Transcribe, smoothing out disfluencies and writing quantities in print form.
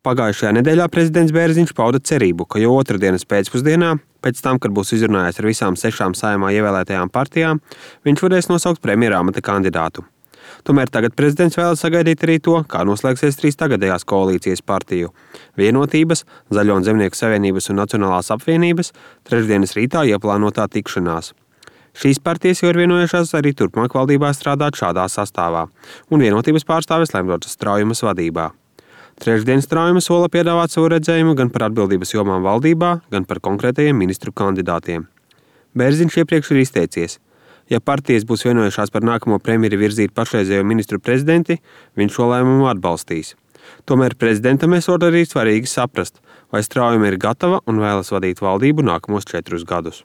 Pagājušajā nedēļā prezidents Bērziņš pauda cerību, ka jau otrdienas pēcpusdienā, pēc tam, kad būs izrunājis ar visām 6 Saeimā ievēlētajām partijām, viņš varēs nosaukt premjera amata kandidātu. Tomēr tagad prezidents vēlas sagaidīt arī to, kā noslēgsies 3 tagadējās koalīcijas partiju – Vienotības, Zaļo un Zemnieku savienības un Nacionālās apvienības trešdienas rītā ieplānotā tikšanās. Šīs partijas jau ir vienojušās arī turpmāk valdībā strādāt šādā sastāvā, un Vienotības pārstāvis Lembergas Straujumas vadībā. Trešdien Straujuma sola piedāvāt savu redzējumu gan par atbildības jomām valdībā, gan par konkrētajiem ministru kandidātiem. Bērziņš iepriekš ir izteicies: ja partijas būs vienojušās par nākamo premjeri virzīt pašreizējo ministru prezidenti, viņš šo lēmumu atbalstīs. Tomēr prezidentam esot arī svarīgi saprast, vai Straujuma ir gatava un vēlas vadīt valdību nākamos 4 gadus.